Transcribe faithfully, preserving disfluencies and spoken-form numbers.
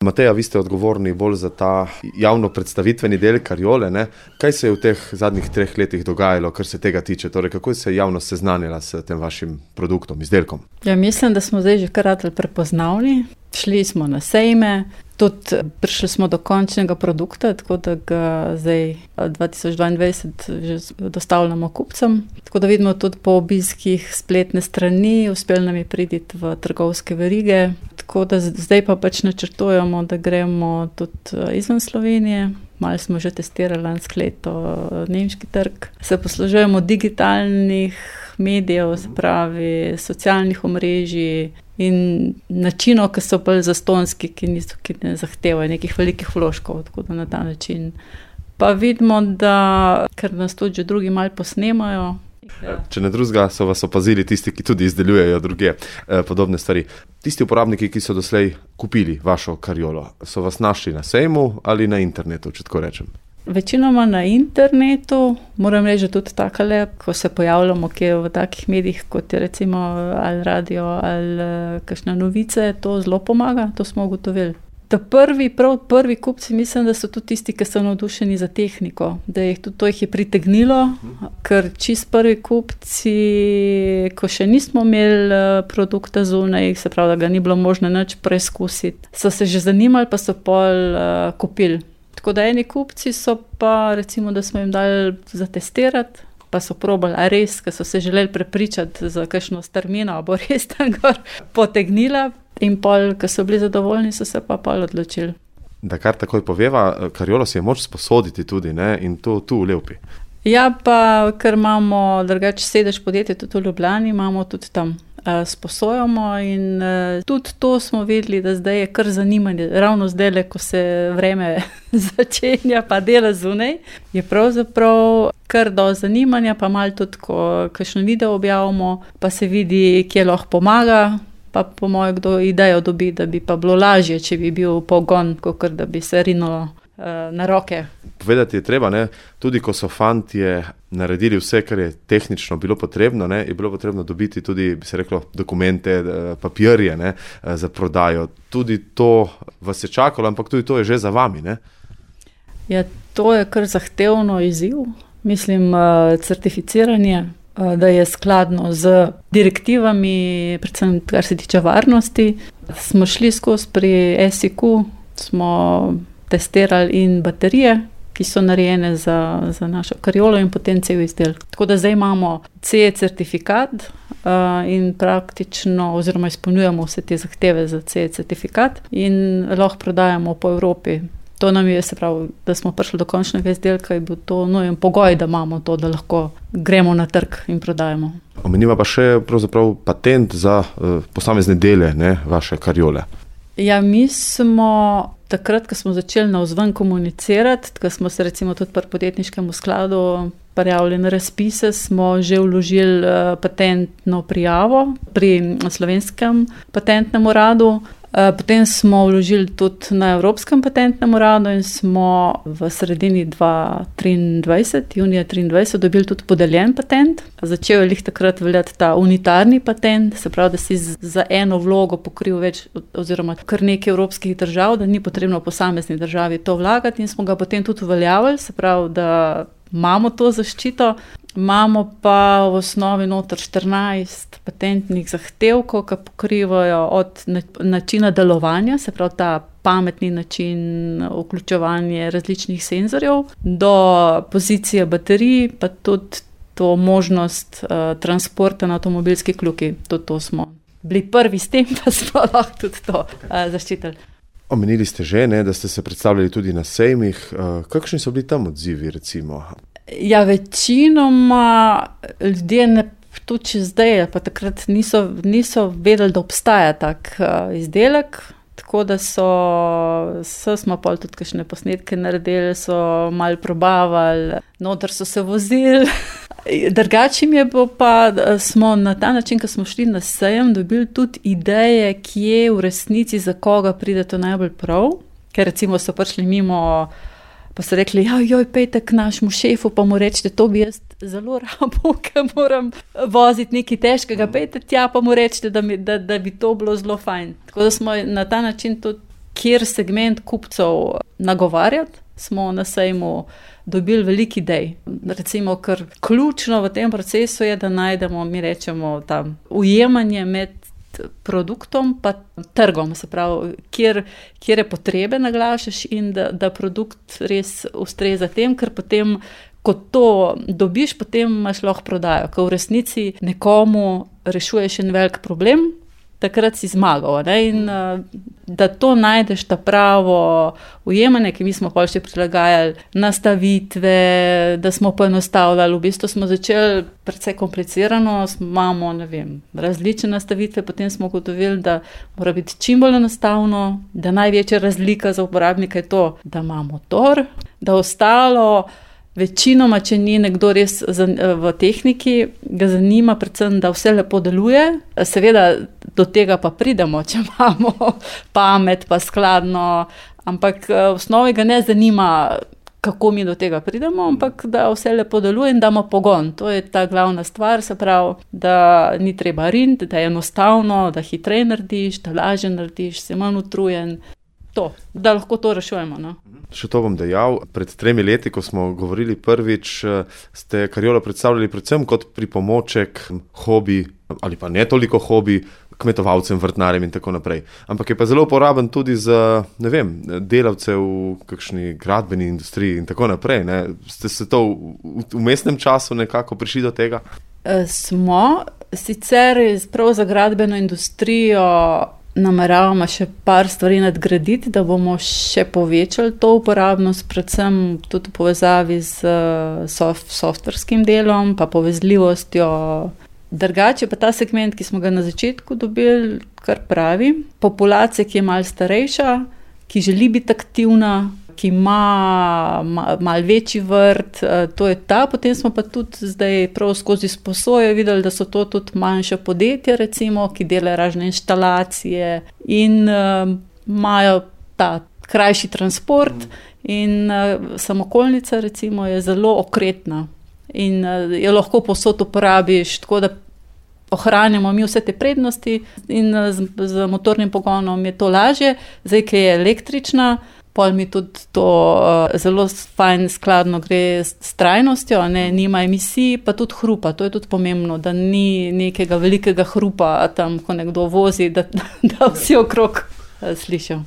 Mateja, vi ste odgovorni bolj za ta javno predstavitveni del Kariole, ne? Kaj se je v teh zadnjih treh letih dogajalo, kar se tega tiče? Torej, kako se je javnost seznanila s tem vašim produktom, izdelkom? Ja, mislim, da smo zdaj že kar ratali prepoznavni. Šli smo na sejme, tudi prišli smo do končnega produkta, tako da ga zdaj dva tisoč dvaindvajset že dostavljamo kupcem. Tako da vidimo tudi po obiskih spletne strani, uspeli nam je priti v trgovske verige. Tako da zdaj pa pač načrtujemo, da gremo tudi izven Slovenije. Malo smo že testirali lansko leto nemški trg. Se poslužujemo digitalnih medijev, se pravi socialnih omrežij in načinov, ki so bolj zastonski, ki, niso, ki ne zahtevajo nekih velikih vložkov, tako da na ta način. Pa vidimo, da ker nas tudi že drugi malo posnemajo. Ja. Če ne drugega, so vas opazili tisti, ki tudi izdelujejo druge eh, podobne stvari. Tisti uporabniki, ki so doslej kupili vašo Kariolo, so vas našli na sejmu ali na internetu, če tako rečem? Večinoma na internetu, moram reči tudi takole, ko se pojavljamo kje v takih medijih, kot je recimo ali radio ali kakšne novice, to zelo pomaga, to smo ugotovili. Da prvi, prav prvi kupci, mislim, da so tudi tisti, ki so navdušeni za tehniko, da jih tudi to jih je pritegnilo, ker čist prvi kupci, ko še nismo imeli produkta zunaj, se pravi, da ga ni bilo možno nič preizkusiti, so se že zanimali, pa so pol uh, kupili. Tako da eni kupci so pa, recimo, da smo jim dali zatestirati, pa so probali, a res, ker so se želeli prepričati za kakšno strmino, a bo res tam gor potegnila. In pol, ko so bili zadovoljni, so se pa pol odločili. Da kar takoj poveva, Kariolo si je moč sposoditi tudi, ne? In to tu v Lepi. Ja, pa ker imamo drugače sedež podjetja tudi v Ljubljani, imamo tudi tam uh, sposojamo in uh, tudi to smo videli, da zdaj je kar zanimanje. Ravno zdaj, ko se vreme začenja, pa dela zunaj, je pravzaprav kar do zanimanja, pa malo tudi, ko kakšno video objavimo, pa se vidi, kje lahko pomaga. Pa po mojem, kdo idejo dobi, da bi pa bilo lažje, če bi bil pogon, kakor da bi se rinulo uh, na roke. Povedati je treba, ne, tudi ko so fantje naredili vse, kar je tehnično bilo potrebno, ne, je bilo potrebno dobiti tudi, bi se reklo, dokumente, papirje, ne, za prodajo. Tudi to vas je čakalo, ampak tudi to je že za vami, ne? Ja, to je kar zahtevno izziv. Mislim, uh, certificiranje, da je skladno z direktivami, predvsem kar se tiče varnosti. Smo šli skozi pri S I Q, smo testirali in baterije, ki so narejene za, za našo Kariolo in potem cel izdelek. Tako da zdaj imamo C E certifikat uh, in praktično oziroma izpolnjujemo vse te zahteve za C E certifikat in lahko prodajamo po Evropi. To nam je, se pravi, da smo prišli do končnega izdelka, je bil to nujen pogoj, da imamo to, da lahko gremo na trg in prodajemo. Omeniva pa še pravzaprav patent za uh, posamezne dele, ne, vaše Kariole. Ja, mi smo takrat, ko smo začeli navzven komunicirati, ko smo se recimo tudi pri podjetniškem skladu prijavili na razpise, smo že vložili uh, patentno prijavo pri Slovenskem patentnem uradu. Potem smo vložili tudi na Evropskem patentnem uradu in smo v sredini dva tisoč triindvajset, junija triindvajset, dobili tudi podeljen patent. Začel je lih takrat veljati ta unitarni patent, se pravi, da si za eno vlogo pokril več oziroma kar nekaj evropskih držav, da ni potrebno v posamezni državi to vlagati in smo ga potem tudi uveljavili, se pravi, da imamo to zaščito. Imamo pa v osnovi noter štirinajst patentnih zahtevkov, ki pokrivajo od načina delovanja, se pravi ta pametni način vključevanja različnih senzorjev, do pozicije baterij, pa tudi to možnost uh, transporta na avtomobilski kljuki. Tudi to smo bili prvi s tem, pa smo lahko tudi to uh, zaščitili. Omenili ste že, ne, da ste se predstavljali tudi na sejmih. Uh, kakšni so bili tam odzivi, recimo? Ja, večinoma ljudje, ne, tudi če zdaj, pa takrat niso, niso vedeli, da obstaja tak uh, izdelek, tako da so, so smo pol tudi kakšne posnetke naredili, so malo probavali, noter so se vozili. Drugače mi je bilo pa, smo na ta način, ko smo šli na sejem, dobili tudi ideje, kje v resnici za koga pride to najbolj prav, ker recimo so prišli mimo, pa so rekli, ja, joj, pejte k našemu šefu, pa mu rečete, to bi jaz zelo rabo, ker moram voziti nekaj težkega, pejte tja, pa mu rečete, da, mi, da, da bi to bilo zelo fajn. Tako da smo na ta način tudi kjer segment kupcev nagovarjati, smo na sejmu dobili veliko idej. Recimo, ker ključno v tem procesu je, da najdemo, mi rečemo, tam ujemanje med produktom pa trgom, se pravi, kjer, kjer je potrebe naglašaš in da, da produkt res ustreza tem, ker potem, ko to dobiš, potem imaš lahko prodajo, ker v resnici nekomu rešuješ en velik problem, takrat si zmagal, ne? In da to najdeš ta pravo ujemanje, ki mi smo pol še prilagajali nastavitve, da smo poenostavljali, v bistvu smo začeli precej komplicirano, imamo, ne vem, različne nastavitve, potem smo ugotovili, da mora biti čim bolj enostavno, da največja razlika za uporabnika je to, da ima motor, da ostalo večinoma, če ni nekdo res v tehniki, ga zanima predvsem, da vse lepo deluje. Seveda do tega pa pridemo, če imamo pamet pa skladno, ampak v osnovi ga ne zanima, kako mi do tega pridemo, ampak da vse lepo deluje in damo pogon. To je ta glavna stvar, se pravi, da ni treba riniti, da je enostavno, da hitreje narediš, da lažje narediš, si manj utrujen. To, da lahko to rešujemo, no. Še to bom dejal, pred tremi leti, ko smo govorili prvič, ste Kariolo predstavljali predvsem kot pripomoček, hobi, ali pa ne toliko hobi, kmetovalcem, vrtnarjem in tako naprej. Ampak je pa zelo uporaben tudi za, ne vem, delavce v kakšni gradbeni industriji in tako naprej, ne. Ste se to v, v mestnem času nekako prišli do tega? E, smo, sicer prav za gradbeno industrijo nameravamo še par stvari nadgraditi, da bomo še povečali to uporabnost, predvsem tudi v povezavi z soft, softverskim delom, pa povezljivostjo. Drugače pa ta segment, ki smo ga na začetku dobili, kar pravi, populacija, ki je malo starejša, ki želi biti aktivna, ki ima malo večji vrt, to je ta. Potem smo pa tudi zdaj prav skozi sposojo videli, da so to tudi manjše podjetja, recimo, ki delajo razne inštalacije in uh, imajo ta krajši transport in uh, samokolnica, recimo, je zelo okretna in uh, jo lahko povsod uporabiš, tako da ohranjamo mi vse te prednosti in uh, z, z motornim pogonom je to lažje. Zdaj, ki je električna, pol mi tudi to uh, zelo fajn skladno gre s, s trajnostjo, ne, nima emisij, pa tudi hrupa, to je tudi pomembno, da ni nekega velikega hrupa tam, ko nekdo vozi, da, da vsi okrog uh, slišijo.